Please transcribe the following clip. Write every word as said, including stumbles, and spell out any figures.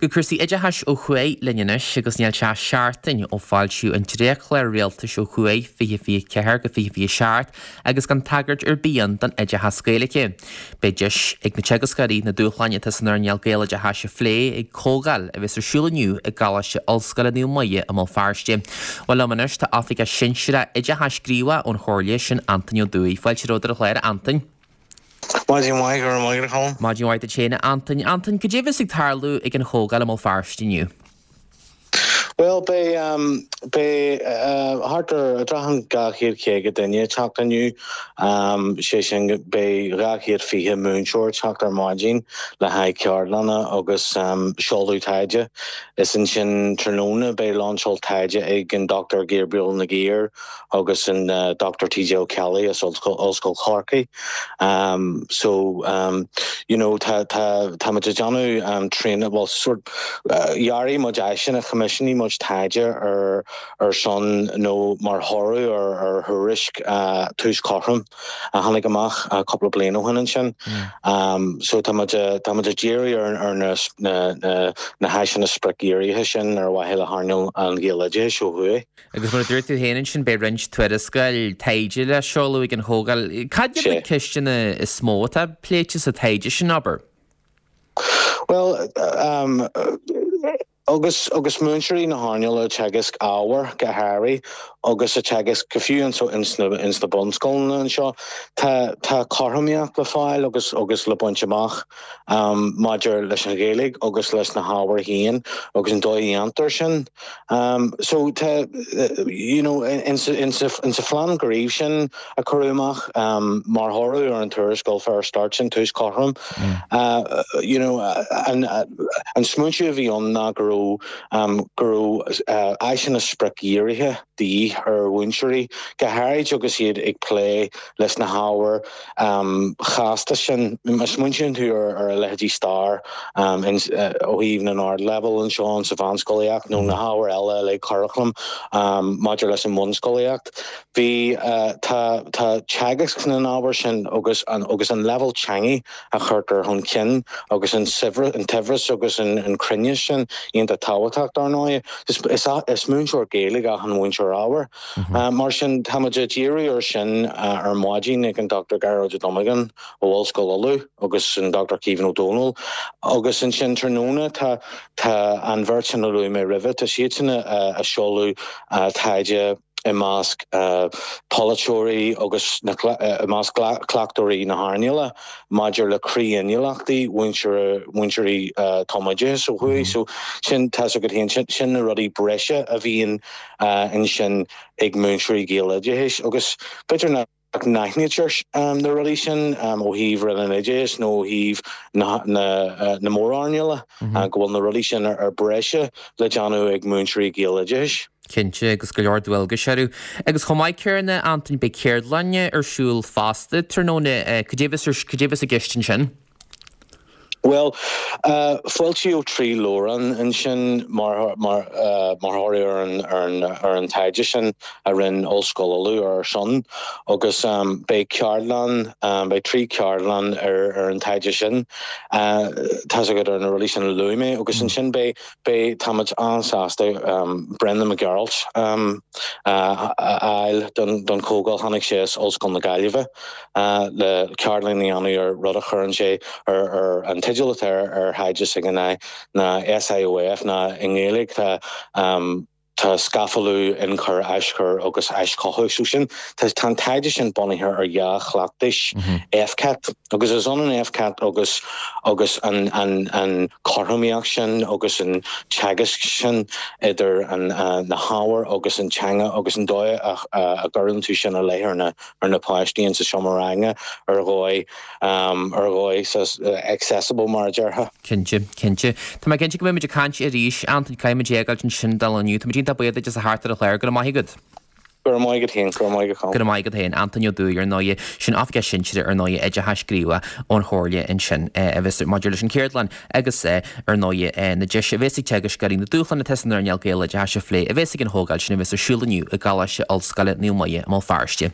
Go cúrsaí oideachais ó thuaidh linn anois agus níl sé seachtain ó foilsíodh an dréachtchlár rialtais ó thuaidh fiche fiche ceathair go fiche fiche seacht agus gan tagairt ar bith ann don oideachas Gaeilge. Beidh deis ag na teagascóirí na dúshláin atá san earnáil Gaeloideachais a phlé ag comhdháil a bheas ar siúl inniu i gColáiste Ollscoile Naomh Muire i mBéal Feirste. Bhuel liom anois tá Oifigeach Sinsearach Oideachais Gníomhach ón Chomhairle sin Antaine Ó Dúill. Fáilte romhat ar an chlár Antain. Maidin mhaith go raibh maith agat. Maidin mhaith duit féin Antain Antain cad é a bheas ag tarlú ag an chomhdháil i mBéal Feirste inniu. Well beidh um, beidh uh, thart ar déarfainn dhá chéad caoga duine ag teacht inniu um, sé sin beidh dhá chéad fiche múinteoir ag teacht ar maidin le haghaidh ceardlanna agus um, seoladh taighde. Is ansin tráthnóna beidh lainseáil taighde ag an Dr Gabriel Nagier agus an uh, Dr TJ O'Kelly as Ollscoil Chorcaí. Um, so um, you know tá tá tá muid ag déanamh um, train well sort uh, dhear muid áiseanna choimisiúnaigh muid taighde ar ar son nó mar thoradh ar ar thuairisc uh, tús cothrom a tháinig amach uh, cúpla bliain ó shin ansin. Mm. Um, so tá muid tá muid ag díriú ar ar na na na, na háiseanna spriocdhírithe sin ar mhaithe le hearnáil an Ghaeloideachais ó thuaidh. Agus mar a dúirt tú féin sin beidh roinnt tuarascáil taighde le seoladh ag an chomhdháil. Cad iad na ceisteanna is mó atá pléite sa taighde sin abair? Well um, agus agus múinteoirí na hearnála teagasc ábhar go háirithe agus a teagasc go fiú anso ins na ins na bunscoileanna anseo tá tá cothromaíocht le fáil agus agus le baint amach um, maidir leis an Ghaeilge agus leis na hábhair féin agus an dóigh a dhéantar sin. Um, so tá you know in in in sa phlean gnímh sin a cuireadh amach um, mar thoradh ar an tuarascáil Fair Start sin tús cothrom. Mm. Uh, you know an an smaoineamh a bhí ann ná go raibh um, go raibh uh, áiseanna spriocdhírithe de dhíth ar mhúinteoirí go háirid agus iad ag plé leis na hábhair um, chasta sin má smaoiníonn tú ar ar a leithéidí stair um, in, uh, ó thaobh na n-ardleibhéal anseo sa mheánscolaíocht nó na hábhair eile le curaclam um, maidir leis an mbunscolaíocht. Bhí uh, tá tá teagasc na n-ábhar sin agus an agus an level teanga a chuirtear chun cinn agus an an saibhreas agus an, an cruinneas sin iontach tábhachtach dar ndóigh. Is, is, is múinteoir Gaeilge an múinteoir ábhair. Mm -hmm. uh, mar sin tá muid ag díriú ar sin uh, ar maidin ag an Dr. Gearóid Ó Donnabháin ó Ollscoil Uladh agus an Dr. Kevin O'Donnell agus ansin tráthnóna tá tá an bheirt sin a luaigh mé roimhe tá siad sin a, a seoladh uh, taighde i measc uh, polaiteoirí agus na uh, i measc cleachtóirí na hearnála maidir le croí-inniúlachtaí múinteoirí uh, tumoideachais ó thuaidh so sin tá go sin sin na rudaí breise a bhíonn uh, ansin ag múinteoirí Gaeloideachais agus b'fhéidir nach n-aithnítear um, na rudaí sin um, ó thaobh Roinn an Oideachais nó ó thaobh na, na, uh, na mórearnála mm -hmm. uh, go bhfuil na rudaí sin ar, ar breise le déanamh ag múinteoirí Gaeloideachais. Cinnte agus go leor dualgas orthu. Agus chomh maith céanna Antain beidh ceardlanna ar siúl fosta tráthnóna cad é a bheas i gceist ansin. Well, uh, foilsíodh trí leabhrán ansin mar mar uh, mar thoradh ar an ar an ar an taighde sin a rinne Ollscoil Uladh ar son agus um, beidh ceardlann um, beidh trí cheardlann ar ar an taighde sin uh, tá go ar na rudaí sin a luaigh mé agus ansin beidh beidh táimid an-sásta um, Brendan Mac Gearailt um, uh, a fháil don don chomhdháil tháinig sé as Ollscoil na Gaillimhe uh, le ceardlann a dhéanamh ar rud a chuireann sé ar ar an teideal atá ar ar thaighde s'aige ná na SIOF ná i nGaeilge tá um, tá scafallú ionchur aischur agus aischothú so sin tá tá taighde sin bunaithe ar dhea-chleachtais mm -hmm. FCAT agus is ionann FCAT agus agus an an an chothromaíocht sin agus an teagasc sin idir an uh, na hábhair agus an teanga agus an dóigh a, a, a gcuireann tú sin i láthair na ar na páistí sa seomra ranga ar dhóigh um, ar dhóigh uh, accessible mar a déarfá. Cinnte cinnte. Tá mé cinnte go mbeimid ag caint arís Antain caithfimid éisteacht ansin dul inniu, Tá iontach buíoch as a theacht ar an chlár go maith agat. Gur maigad héin gur maigad Go maigad héin Antonio dú ar nóie sin afge sinsire ar nóie oideachais gníomhach ón Chomhairle ansin a bheas maidir leis an cheardlann agus ar ndóigh na deis a bheas ag teagascóirí na dúshláin atá san earnáil Gaeloideachais a phlé a bheas ag an chomhdháil sin a bheas ar siúl inniu i gColáiste Ollscoile Naomh Muire i mBéal Feirste.